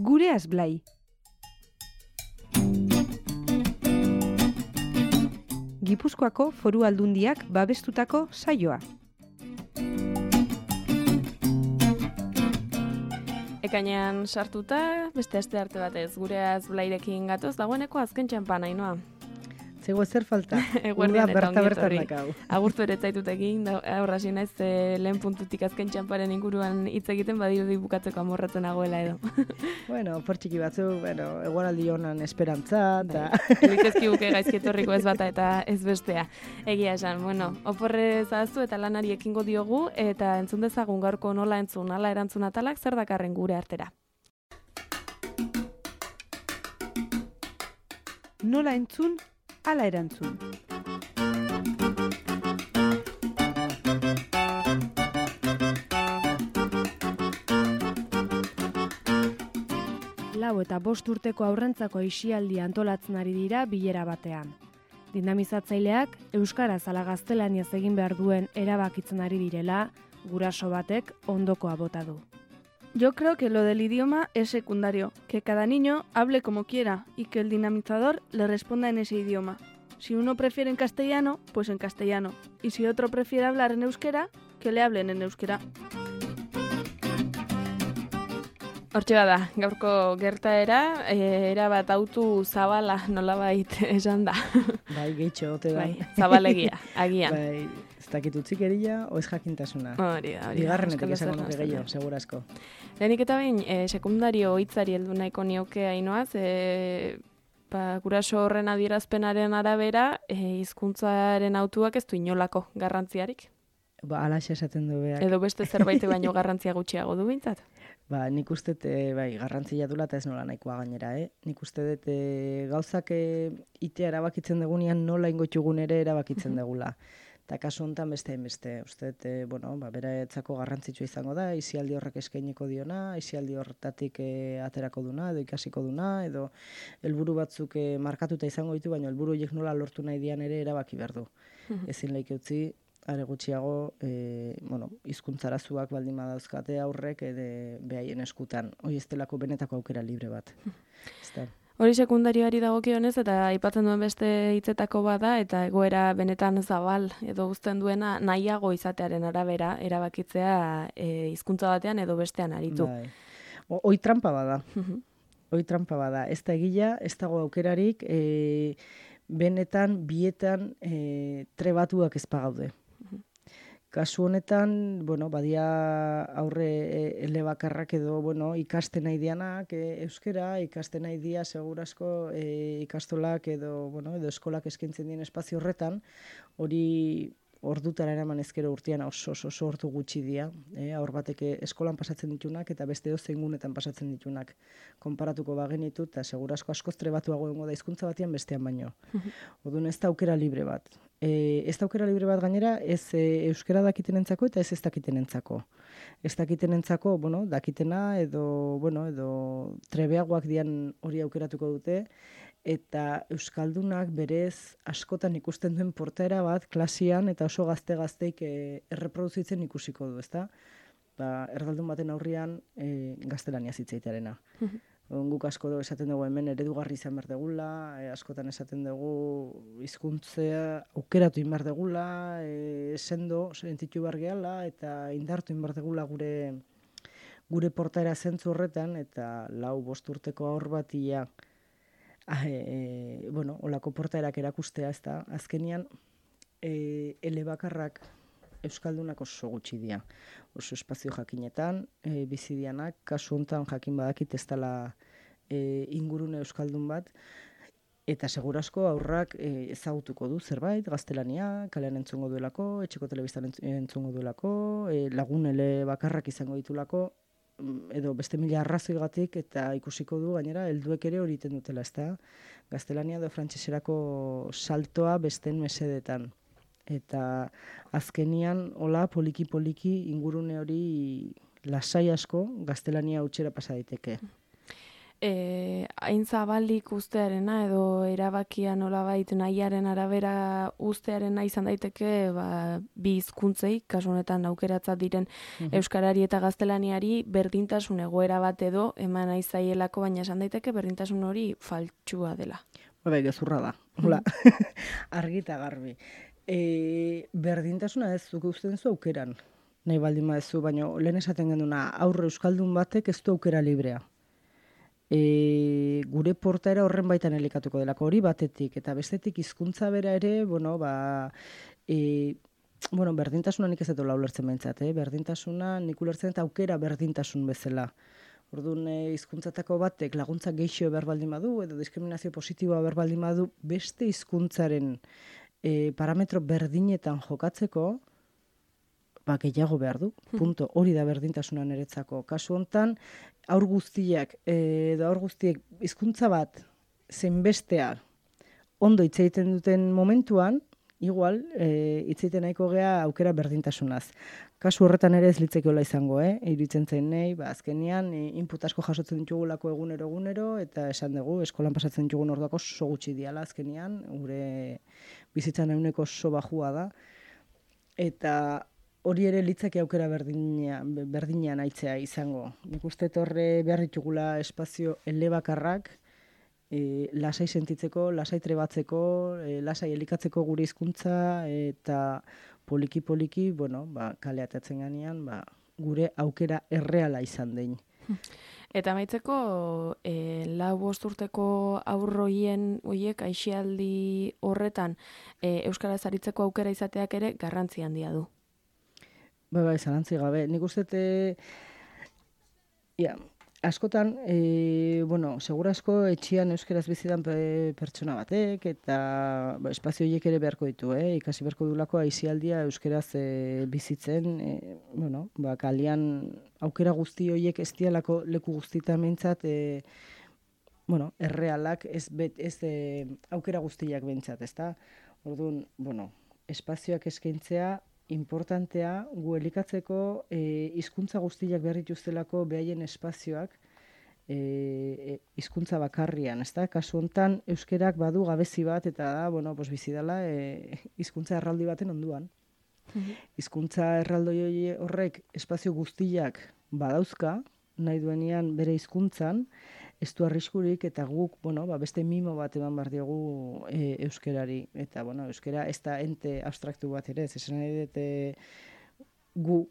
Gureaz Blai. Gipuzkoako Foru Aldundiak babestutako saioa. Ekainean sartuta, beste aste arte batez, Gureaz Blairekin gatoz, dagoeneko azken txampan, Ainhoa. Zego zer falta. Eguerdian eta ongi etorri. Dakau. Agurtu ere zaitut egin, aurra hasi naiz lehen puntutik azken txamparen inguruan hitz egiten badirudi bukatzeko amorratzen nagoela edo. Bueno, portxiki batzu, egueraldi honan esperantza, eta... Egitezkiguke gaizki etorriko ez bata eta ez bestea. Egia esan, oporre zahaztu eta lanari ekingo diogu, eta entzun dezagun gaurko nola entzun, ala erantzun atalak zer dakarren gure artera. Nola entzun, ala erantzun. Lau eta 5 urteko aurrentzako aisialdi antolatzen ari dira bilera batean. Dinamizatzaileak euskaraz ala gaztelaniaz egin behar duen erabakitzen ari direla, guraso batek ondokoa bota du. Yo creo que lo del idioma es secundario, que cada niño hable como quiera y que el dinamizador le responda en ese idioma. Si uno prefiere en castellano, pues en castellano. Y si otro prefiere hablar en euskera, que le hablen en euskera. Hortxe bada, gaurko gertaera, erabat autu zabala nolabait esan da. Bai, gehitxo, ote da. Bai, zabalegia, agian. Bai, ez dakit utzikeria, o ez jakintasuna. Hori da. Bigarrenetik esango nuke gehiago, segurazko. Lehenik eta behin, sekundario hitzari heldu nahiko nioke Ainhoaz, guraso horren adierazpenaren arabera, hizkuntzaren autuak ez du inolako garrantziarik. Alaxe esaten du behar. Edo beste zerbait baino garrantzia gutxiago du behintzat? Nik uste bai, garrantzia dula eta ez nola nahikoa gainera, Nik uste dut gauzak itea erabakitzen dugunean nola ingoitugun ere erabakitzen dugula. Eta kasu honetan beste. Uste dut, beraetzako garrantzitsua izango da, aisialdi horrek eskainiko diona, aisialdi horretatik aterako duna, edo ikasiko duna, edo helburu batzuk markatuta izango ditu, baina helburu horiek nola lortu nahi dian ere erabaki behar du. Ezin laik utzi, are gutxiago, hizkuntzarazuak baldin badauzkate aurrek behaien eskutan. Hoi ez delako benetako aukera libre bat. Hori sekundarioari dagokionez eta aipatzen duen beste hitzetako bada eta egoera benetan zabal edo uzten duena nahiago izatearen arabera erabakitzea hizkuntza batean edo bestean aritu. Bai. Hoi trampa bada. Hoi trampa bada. Ez da egila, ez dago aukerarik, benetan, bietan trebatuak ez pagaude. Kasu honetan, badia aurre elebakarrak edo, ikasten nahi dianak euskera, ikasten nahi dia segurazko ikastolak edo eskolak eskaintzen dien espazio horretan, hori ordutara eraman ezkero urtean oso ordu gutxi dira, aur batek eskolan pasatzen ditunak eta beste dozein gunetan pasatzen ditunak. Konparatuko bagenitu eta segurazko askoz trebatuago egongo da hizkuntza batean bestean baino. Orduan ez da aukera libre bat. Ez da aukera libre bat gainera, ez euskera dakitenentzako eta ez dakitenentzako. Ez dakitenentzako, dakitena edo trebeagoak dian hori aukeratuko dute, eta euskaldunak berez askotan ikusten duen portaera bat klasian eta oso gazteik erreproduzitzen ikusiko du, ezta? Erdaldun baten aurrian gaztelania zitzaitearena. Guk asko esaten dugu hemen eredugarri izan behar degula, askotan esaten dugu hizkuntzea aukeratu behar degula, sendo, sentitu behar gehala, eta indartu behar degula gure portaera zentzu horretan, eta 4-5 urteko aur batia olako portaerak erakustea, ez da, azkenian elebakarrak euskaldunak oso gutxi dira. Oso espazio jakinetan, bizidianak, kasu honetan jakin badakit ez dela ingurune euskaldun bat, eta segurazko aurrak ezagutuko du zerbait, gaztelania, kalean entzungo duelako, etxeko telebistan entzungo duelako, lagun bakarrak izango ditulako, edo beste mila arrazoigatik eta ikusiko du gainera helduek ere hori egiten dutela, ezta? Gaztelania edo frantseserako saltoa besteen mesedetan. Eta azkenian hola poliki ingurune hori lasai asko gaztelania hutsera pasa daiteke. hain zabalik ustearena edo erabakia nolabait nahiaren arabera ustearena izan daiteke bi hizkuntzei, kasu honetan aukeratzat diren euskarari eta gaztelaniari berdintasun egoera bat edo eman nahi zaielako, baina esan daiteke berdintasun hori faltsua dela. Bai, gezurra da. Hola. Argita garbi. Berdintasuna ez zuke usten zu aukeran. Nahi baldin badezu, baina lehen esaten genduna aurre euskaldun batek ez du aukera librea. Gure portaera horren baitan elikatuko delako hori batetik, eta bestetik hizkuntza bera ere, berdintasuna nik ez dut ulertzen behintzat, berdintasuna nik ulertzen eta aukera berdintasun bezala. Orduan, hizkuntzatako batek laguntza gehixo behar baldin badu, edo diskriminazio positiboa behar baldin badu, beste hizkuntzaren parametro berdinetan jokatzeko, gehiago behar du, punto, hori da berdintasuna niretzako. Kasu hontan, haur guztiek hizkuntza bat zenbestea ondo hitz egiten duten momentuan, igual, hitz egiten nahiko gea aukera berdintasunaz. Kasu horretan ere ez litzekeola izango, iruditzen zen nahi, azkenean, input asko jasotzen ditugulako egunero, eta esan dugu, eskolan pasatzen ditugun orduak oso gutxi diala azkenean, gure bizitzan ehuneko oso bajua da, eta hori ere litzake aukera berdinean aitzea izango. Nik uste horre behar ditugula espazio elebakarrak, lasai sentitzeko, lasai trebatzeko, lasai elikatzeko gure hizkuntza eta poliki-poliki, kale atatzen ganean, gure aukera erreala izan dein. Eta amaitzeko, 4-5 urteko horiek aisialdi horretan euskaraz aritzeko aukera izateak ere garrantzi handia du. Bai, zalantzi gabe. Nik uste, askotan, segurazko etxian euskeraz bizidan pertsona batek, eta espazio horiek ere beharko ditu, ikasi beharko dulako aisialdia euskeraz bizitzen, kalian aukera guzti horiek ez dialako leku guztietan behintzat, errealak ez aukera guztiak behintzat, ezta? Orduan, espazioak eskaintzea, importantea, gu elikatzeko hizkuntza guztiak behar dituztelako behaien espazioak hizkuntza bakarrian, ezta? Kasu hontan euskerak badu gabezi bat eta da, bizi dela hizkuntza erraldi baten onduan. Hizkuntza erraldoi horrek espazio guztiak badauzka, nahi duenean bere hizkuntzan, ez du arriskurik eta guk, beste mimo bat eman behar diogu euskerari. Eta, euskera ez da ente abstraktu bat ere, ez esan nahi dut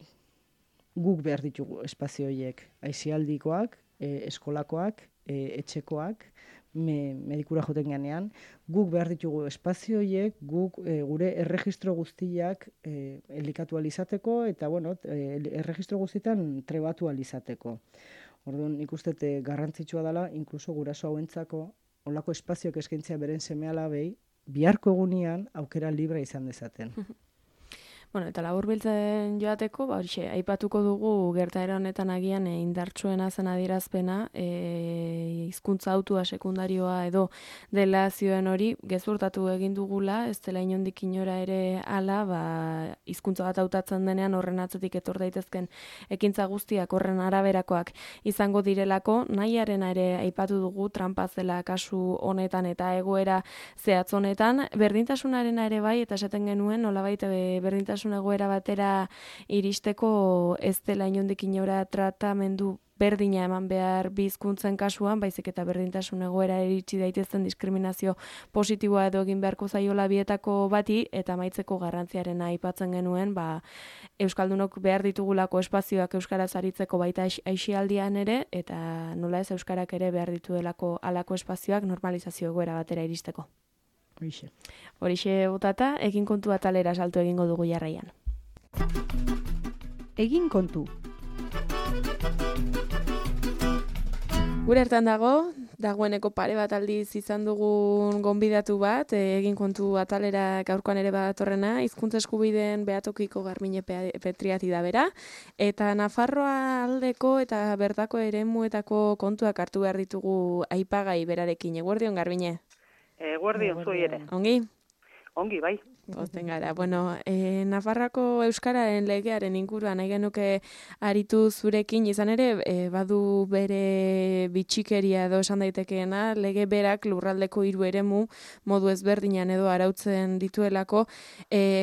guk behar ditugu espazio horiek. Aisialdikoak, eskolakoak, etxekoak, medikura joten ganean, guk behar ditugu espazio horiek, guk gure erregistro guztiak elikatu alizateko, eta, erregistro guztietan trebatu alizateko. Orduan, ikusten garrantzitsua dela, inkluso guraso hauentzako, olako espazioak eskaintzea beren seme-alabei, biharko egunean aukera libre izan dezaten. Eta laburbiltzen joateko, aipatuko dugu gertaera honetan agian indartsuena zen adierazpena, hizkuntza hautua sekundarioa edo dela zioen hori, gezurtatu egin dugula, ez dela inondik inora ere ala, hizkuntza bat hautatzen denean horren atzetik etor daitezken ekintza guztiak horren araberakoak izango direlako, nahiarena ere aipatu dugu, trampa zela kasu honetan eta egoera zehatz honetan, berdintasunarena ere bai, eta esaten genuen, nolabait berdintasun egoera batera iristeko ez dela inondik inora tratamendu berdina eman behar bi hizkuntzen kasuan, baizik eta berdintasun egoera iritsi daitezen diskriminazio positiboa edo egin beharko zaiola bietako bati, eta amaitzeko garrantziarena aipatzen genuen, euskaldunok behar ditugulako espazioak euskaraz aritzeko baita aisialdian ere, eta nola ez euskarak ere behar dituelako halako espazioak normalizazio egoera batera iristeko. Horixe botata, egin kontu atalera salto egingo dugu jarraian. Egin kontu. Gure hartan dagoeneko pare bat aldiz izan dugun gonbidatu bat, egin kontu atalera gaurkoan ere batorrena, hizkuntza eskubideen behatokiko Garbiñe Petriati da bera, eta Nafarroa aldeko eta bertako eremuetako kontuak hartu behar ditugu aipagai berarekin. Eguerdion, Garbiñe? Eguerdion, zuei ere. Ongi? Ongi, bai. Pozten gara. Bueno, Nafarroako Euskararen legearen inguruan nahi genuke aritu zurekin, izan ere, badu bere bitxikeria edo esan daitekeena, lege berak lurraldeko 3 eremu modu ezberdinan edo arautzen dituelako.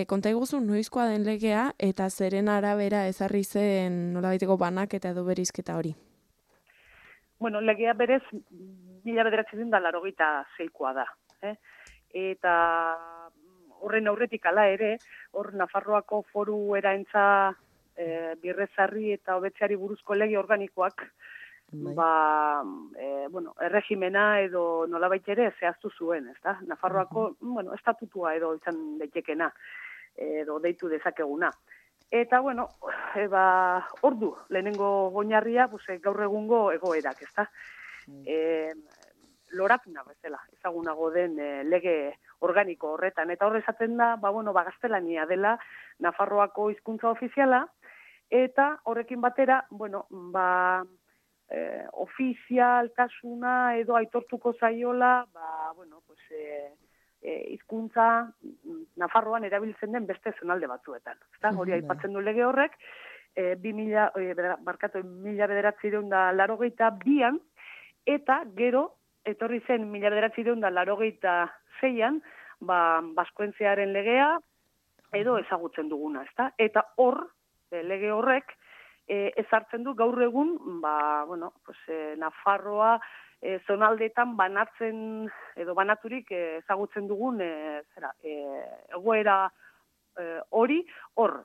Konta iguzu, noizkoa den legea eta zeren arabera ezarri zen nolabaiteko banaketa edo berizketa hori? Bueno, legea berez 1986koa da. Eta horren aurretik hala ere, hor Nafarroako foru eraintza birrezarri eta hobetzeari buruzko lege organikoak, erregimena edo nolabait ere zehaztu zuen, ezta? Nafarroako, estatutua edo izan daitekena, edo deitu dezakeguna. Eta, ordu, lehenengo oinarria, gaur egungo egoerak, ezta? Lorakuna bezala, ezagunago den lege organiko horretan. Eta horre esaten da, gaztelania dela Nafarroako hizkuntza ofiziala, eta horrekin batera, ofizialtasuna edo aitortuko zaiola, hizkuntza Nafarroan erabiltzen den beste zonalde batzuetan. Hori aipatzen du lege horrek, 1982an, eta gero, etorri zen 1986an, Baskoentziaren legea edo ezagutzen duguna, ezta? Eta hor, lege horrek, ezartzen du gaur egun, Nafarroa zonaldeetan banatzen edo banaturik ezagutzen dugun egoera hori hor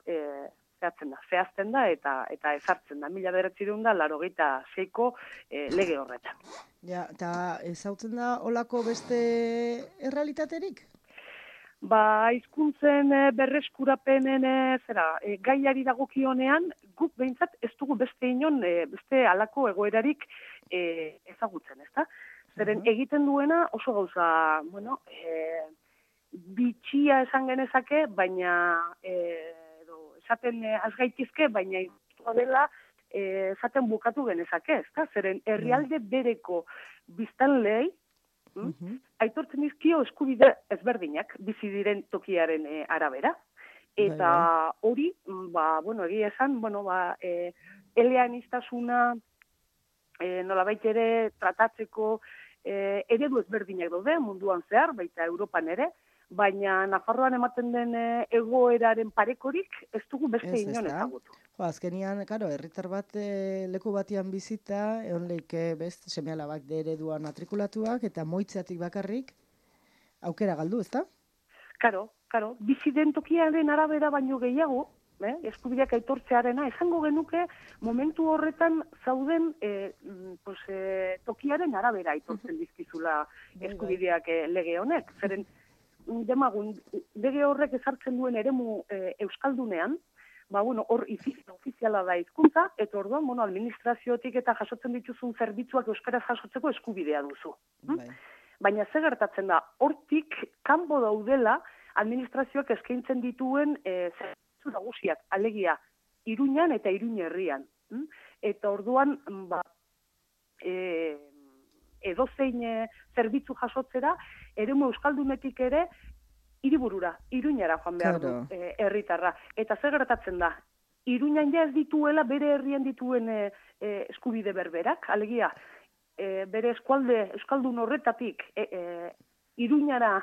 zehazten da eta ezartzen da 1986ko lege horretan. Ja, eta ezagutzen da olako beste errealitaterik? Hizkuntzen berreskurapenen gaiari dagokionean, guk behintzat ez dugu beste inon, beste halako egoerarik ezagutzen, ezta? Zeren egiten duena oso gauza, bitxia esan genezake, baina esaten azgaitizke, baina iztua dela esaten bukatu genezake, ezta? Zeren herrialde bereko biztanleei aitortzen dizkio eskubide ezberdinak bizi diren tokiaren arabera. Eta hori, egia esan, eleaniztasuna nolabait ere tratatzeko eredu ezberdinak daude munduan zehar, baita Europan ere, baina Nafarroan ematen den egoeraren parekorik ez dugu beste inon ezagutu. Azkenian, herritar bat leku batian bizita, egon leike best seme-alabak ereduan matrikulatuak eta moitzeatik bakarrik aukera galdu, ezta? Karo, bizi den tokiaren arabera baino gehiago, eskubideak aitortzearena, esango genuke momentu horretan zauden tokiaren arabera aitortzen dizkizula eskubideak lege honek. Zeren, demagun, lege horrek ezartzen duen eremu euskaldunean, hor ofiziala da hizkuntza, eta orduan, administraziotik eta jasotzen dituzun zerbitzuak euskaraz jasotzeko eskubidea duzu. Baina ze gertatzen da, hortik kanpo daudela administrazioak eskaintzen dituen zerbitzu nagusiak, alegia, Iruñan eta Iruñ herrian. Eta orduan, edozein zerbitzu jasotzera, eremu euskaldunetik ere, hiriburura, Iruñara joan behar du herritarra. Eta zer gertatzen da, Iruñan ja ez dituela bere herrian dituen eskubide berberak, alegia, bere eskualde euskaldun horretatik Iruñara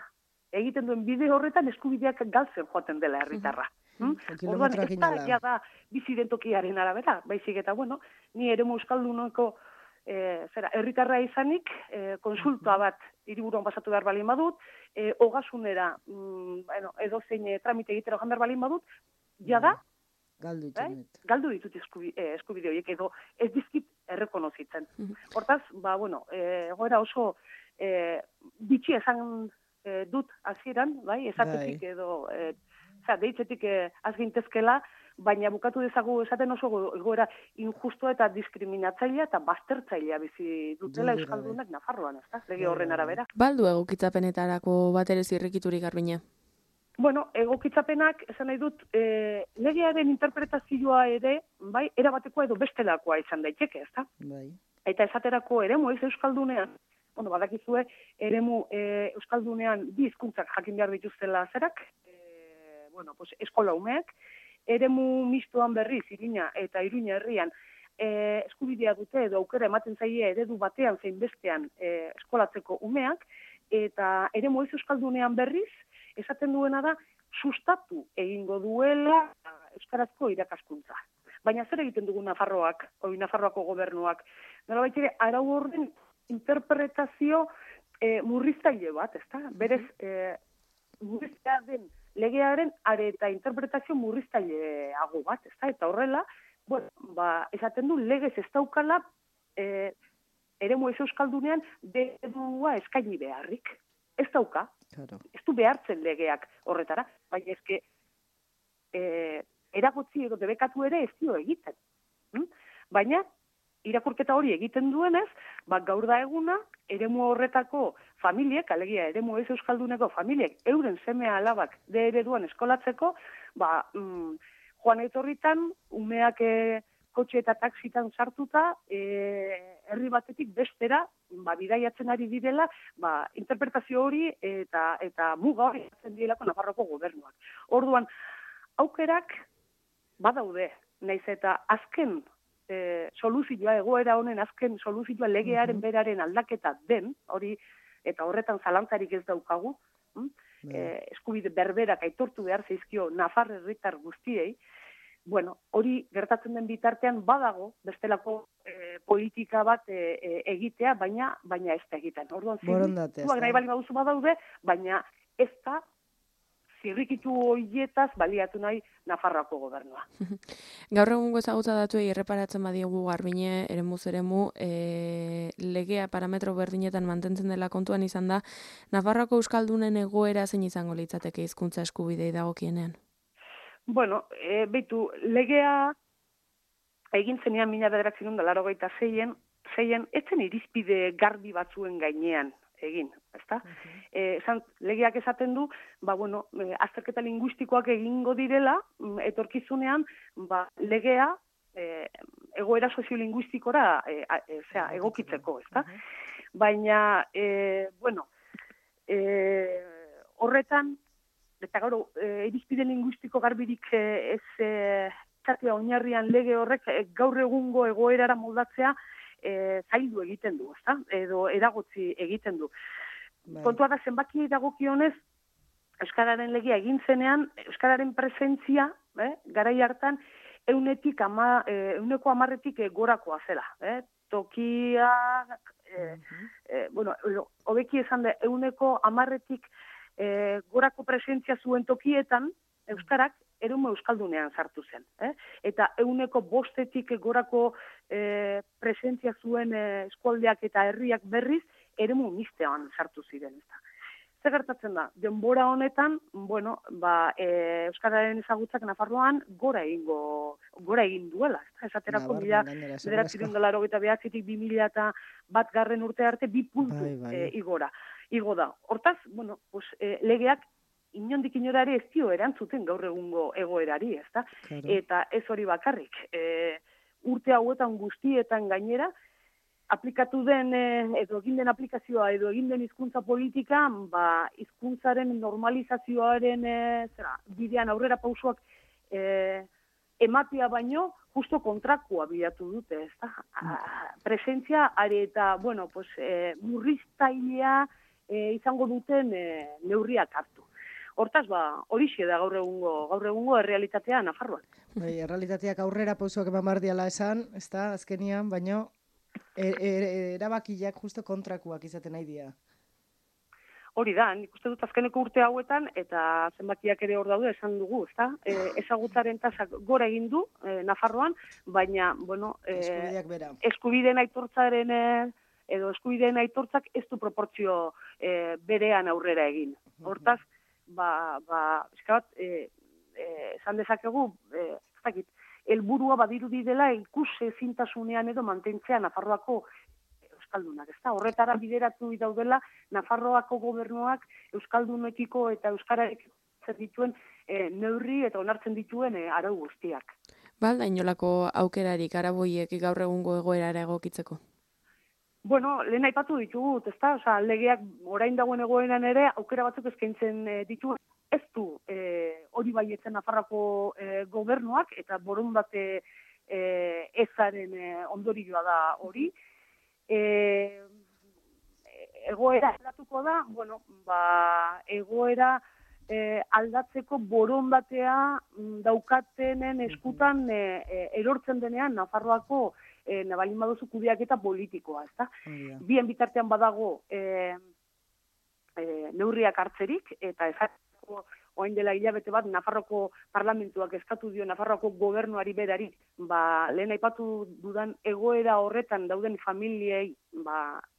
egiten duen bide horretan eskubideak galtzen joaten dela herritarra. Orduan, ez da bizi den tokiaren arabera, baizik eta, ni eremu euskalduneko herritarra izanik, konsulta bat hiriburuan pasatu behar balin badut, ogasunera, edozein tramite egitera joan behar balin badut, jada, galdu ditut eskubide horiek, edo ez dizkit errekonozitzen. Hortaz, egoera oso bitxi esan dut hasieran, esatetik edo, deitzetik azgintezkela, baina bukatu dezagu esaten oso egoera injustua eta diskriminatzailea eta baztertzailea bizi dutela euskaldunak Nafarroan, ezta? Lege horren arabera. Baldu egokitzapenetarako bat ere zirrikiturik Garbina? Egokitzapenak, esan nahi dut, legearen interpretazioa ere, erabatekoa edo bestelakoa izan daiteke, ezta? Eta esaterako eremu ez euskaldunean, badakizue, eremu euskaldunean bi hizkuntzak jakin behar dituztela zerak, eskola umeek, eremu mistoan berriz, Iruña eta Iruña herrian, eskubidea dute edo aukera ematen zaie eredu batean zein bestean eskolatzeko umeak, eta eremu ez euskaldunean berriz, esaten duena da, sustatu egingo duela euskarazko irakaskuntza. Baina zer egiten dugu Nafarroako gobernuak? Nolabait ere, arau horren interpretazio murriztaile bat, ezta? Berez, murriztea den legearen eta interpretazio murriztaileago bat, ezta? Eta horrela, esaten du legez ez daukala eremu ez euskaldunean eredua eskaini beharrik. Ez dauka, ez du behartzen legeak horretara, baina ezke eragotzi edo debekatu ere ez dio egiten. Baina, irakurketa hori egiten duenez, gaur da eguna, eremu horretako familiek, alegia eremu ez euskalduneko familiek, euren seme alabak de ereduan eskolatzeko, joan etorritan, umeak kotxe eta taksitan sartuta, herri batetik bestera, bidaiatzen ari direla, interpretazio hori eta muga hori jatzen direlako Nafarroko gobernuak. Orduan, aukerak badaude, naiz eta azken soluzioa, egoera honen azken soluzioa legearen beraren aldaketa den, hori eta horretan zalantzarik ez daukagu, eskubide berberak aitortu behar zaizkio Nafar herritar guztiei, hori gertatzen den bitartean badago bestelako politika bat egitea, baina ez da egiten. Orduan, zirrikituak nahi bali baduzu badaude, baina ez da zirrikitu horietaz baliatu nahi Nafarroako gobernua. Gaur egungo ezagutza datuei erreparatzen badiogu Garbine, eremuz eremu, legea parametro berdinetan mantentzen dela kontuan izan da, Nafarroako euskaldunen egoera zein izango litzateke hizkuntza eskubidei dagokienean? Beitu, legea egin zenean 1986-an, etzen irizpide garbi batzuen gainean egin, ezta? Legeak esaten du, azterketa linguistikoak egingo direla, etorkizunean, legea egoera soziolinguistikora egokitzeko, ezta? Baina, horretan, eta gaur, irizpide linguistiko garbirik ez izatea oinarrian lege horrek gaur egungo egoerara moldatzea zaildu egiten du, ezta? Edo eragotzi egiten du. Kontua da zenbaki dagokionez, euskararen legia egin zenean, euskararen presentzia, garai hartan, 110-tik gorakoa zela. Tokiak, hobeki esan da, 110-tik gorako presentzia zuen tokietan, euskarak eremu euskaldunean sartu zen. Eta 105-tik gorako presentzia zuen eskualdeak eta herriak berriz, eremu mistean sartu ziren. Zer gertatzen da? Denbora honetan, euskararen ezagutzak Nafarroan gora egin duela. Esaterako 1989-tik 2001 urte arte 2 puntu igora. Igo da. Hortaz, legeak inondik inorare ez dio erantzuten gaur egungo egoerari, ezta? Eta ez hori bakarrik. Urte hauetan guztietan gainera, aplikatu den, edo egin den aplikazioa, edo egin den hizkuntza politika, hizkuntzaren normalizazioaren bidean aurrera pausoak ematea baino, justo kontrakoa bilatu dute, ezta? Presentzia, eta, murriztailea izango duten neurriak hartu. Hortaz, horixe da gaur egungo errealitatea Nafarroan. Errealitateak aurrera pausoak eman bardiala esan, ezta, azkenian, baino, erabakiak justo kontrakoak izaten nahi dira. Hori da, nik uste dut azkeneko urte hauetan, eta zenbakiak ere hor daude esan dugu, ezta? Ezagutzaren tasak gora egin du Nafarroan, baina, eskubideak bera. Eskubideen aitortzaren edo eskubideen aitortzak ez du proportzio berean aurrera egin. Hortaz, esan dezakegu, helburua badirudi dela ikus ezintasunean edo mantentzea Nafarroako euskaldunak, ezta? Horretara bideratu daudela Nafarroako gobernuak euskaldunekiko eta euskararekiko dituen neurri eta onartzen dituen arau guztiak. Balda inolako aukerarik araboiek gaur egungo egoerara egokitzeko? Lehen aipatu ditugut, ezta? Legeak orain dagoen egoeran ere aukera batzuk eskaintzen ditu ez du hori baietzen Nafarroako gobernuak, eta borondate ezaren ondorioa da hori. Egoera aldatuko da, egoera aldatzeko borondatea daukatenen eskutan erortzen denean Nafarroako nabalin baduzu kudeaketa politikoa, ezta? Bien bitartean badago neurriak hartzerik, eta ezartzeko orain dela hilabete bat Nafarroko parlamentuak eskatu dio Nafarroako gobernuari berari, lehen aipatu dudan egoera horretan dauden familiei,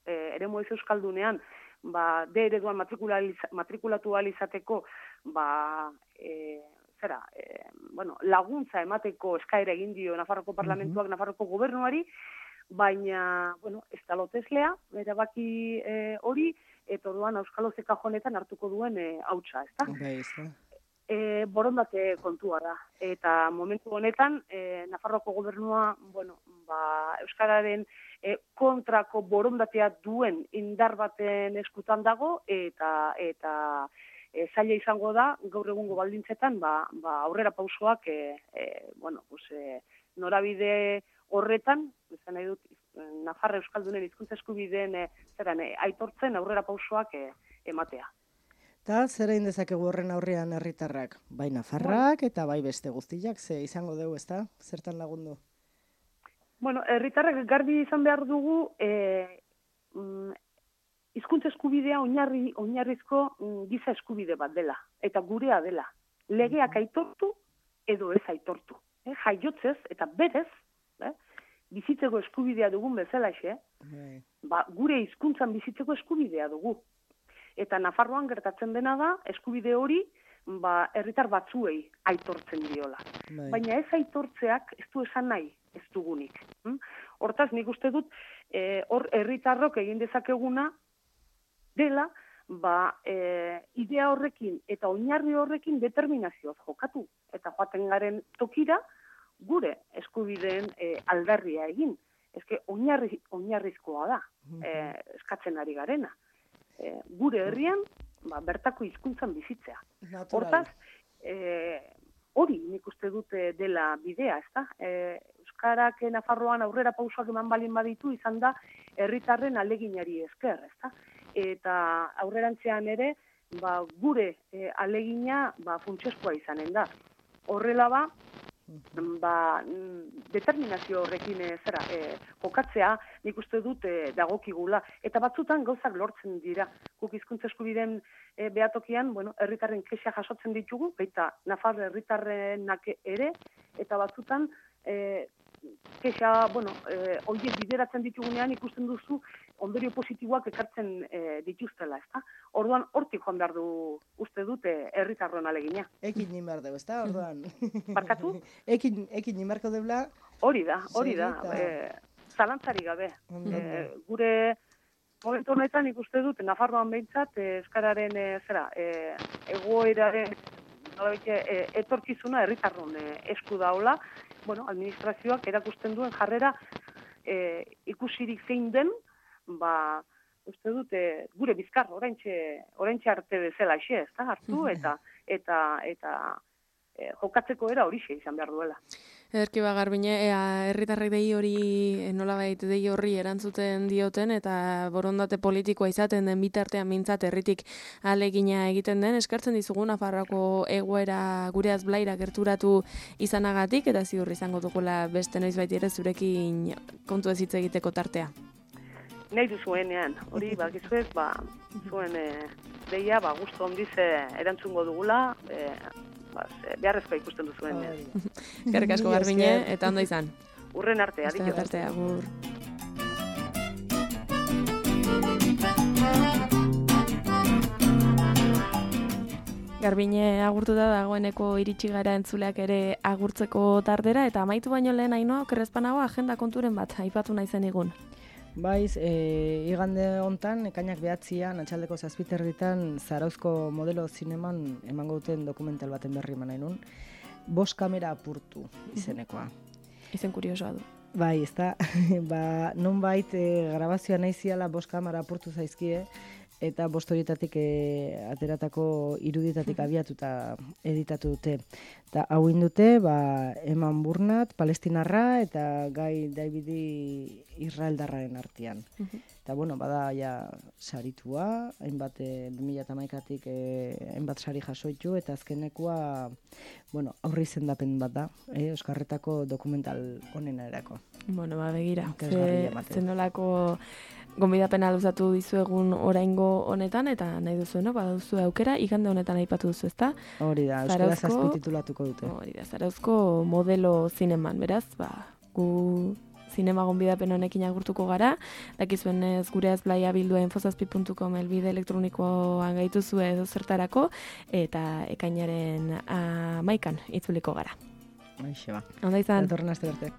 eremu ez euskaldunean, D ereduan matrikulatu ahal izateko, laguntza emateko eskaera egin dio Nafarroko parlamentuak Nafarroko gobernuari, baina, ez da loteslea, erabaki hori, eta orduan Euskalo Zekajonetan hartuko duen hautsa, ezta? Borondate kontua da. Eta momentu honetan, Nafarroako gobernua, Euskararen kontrako borondatea duen indar baten eskutan dago, eta zaila izango da, gaur egungo baldintzetan, aurrera pausoak, norabide horretan, izan nahi dut, Nafarra Euskaldunen hizkuntza eskubideen aitortzen aurrera pausoak ematea. Eta zer egin dezakegu horren aurrean herritarrak? Bai Nafarrak eta bai beste guztiak, ze izango dugu, ezta? Zertan lagundu? Herritarrak garbi izan behar dugu hizkuntza eskubidea oinarrizko giza eskubide bat dela, eta gurea dela. Legeak aitortu edo ez aitortu. Jaiotzez eta berez, bizitzeko eskubidea dugun bezalaxe, gure hizkuntzan bizitzeko eskubidea dugu. Eta Nafarroan gertatzen dena da, eskubide hori, herritar batzuei aitortzen diola. Baina ez aitortzeak ez du esan nahi, ez dugunik. Hortaz, nik uste dut, herritarrok egin dezakeguna dela, idea horrekin eta oinarri horrekin determinazioz jokatu. Eta joaten garen tokira, gure eskubideen aldarria egin. Ezke oinarrizkoa da, eskatzen ari garena. Gure herrian, bertako hizkuntzan bizitzea. Hortaz, hori nik uste dute dela bidea, ezta? Euskarak Nafarroan aurrera pausoak eman balin baditu izan da herritarren aleginari esker, ezta? Eta aurrerantzean ere, gure alegina funtsezkoa izanen da. Horrela determinazio horrekin jokatzea nik uste dut dagokigula. Eta batzutan gauzak lortzen dira. Guk hizkuntza eskubideen behatokian, herritarren kexa jasotzen ditugu, baita Nafar herritarrenak ere, eta batzutan kexa, horiek bideratzen ditugunean ikusten duzu ondorio positiboak ekartzen dituztela, ezta? Orduan, hortik joan behar du uste dute herritarron alegina. Ekin nien behar dugu, ezta? Orduan. Barkatu? Ekin nien beharko deula. Hori da. Zalantzari gabe. Gure momentu honetan ikuste dut, Nafarroan behintzat, euskararen egoeraren etorkizuna herritarron esku daula. Administrazioak erakusten duen jarrera ikusirik zein den, uste dut, gure bizkar, oraintxe arte bezala xe, ez da, hartu, eta jokatzeko era horixe izan behar duela. Ederki Garbine, herritarrek dei hori, nolabait dei horri erantzuten dioten, eta borondate politikoa izaten den bitartean mintzat herritik alegina egiten den, eskartzen dizugu Nafarroako egoera gureaz blaira gerturatu izanagatik, eta ziur izango dugula beste noiz baiti ere zurekin kontu ez hitz egiteko tartea. Nahi duzuenean, hori bakizuez, zuen deia, gustu ondiz erantzungo dugula, beharrezkoa ikusten duzuen. Eskerrik asko Garbine, eta ondo izan. Urren arte, adiós. Arte, agur. Garbine agurtuta dagoeneko iritsi gara entzuleak ere agurtzeko tardera, eta amaitu baino lehen Ainhoa okerrezpanago agenda konturen bat aipatu naizen egun. Baiz, igande hontan, ekainak 9an, atxaldeko 7:00 Zarauzko modelo zineman emango duten dokumental baten berri eman nahi nun. 5 kamera apurtu izenekoa. Izen kuriosoa du. Bai, ez da, nonbait grabazioa nahi ziala 5 kamera apurtu zaizkie, eta 5 horietatik ateratako irudietatik abiatuta editatu dute. Eta hau indute, Eman Burnat, palestinarra, eta Gai Davidi israeldarraren artean. Eta, bada, saritua, hainbat 2011-tik hainbat sari jasoitu, eta azkenekoa, aurri izendapen bat da, Euskarretako dokumental honena erako. Begira, zenolako gonbidapena luzatu dizuegun oraingo honetan, eta nahi duzu, baduzu aukera, igande honetan aipatu duzu, ezta? Hori da, euskaraz azpititulatuko dute. Hori da, Zarauzko modelo zineman, beraz, gu zinema gonbidapen honekin agurtuko gara, dakizuenez gure azblaia bildua infozazpi.com elbide elektronikoan gaituzue edo zertarako, eta ekainaren 11an itzuliko gara. Aixe ba. Onda izan. Datorren aste arte.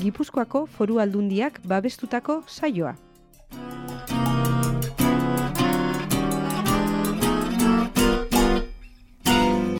Gipuzkoako Foru Aldundiak babestutako saioa.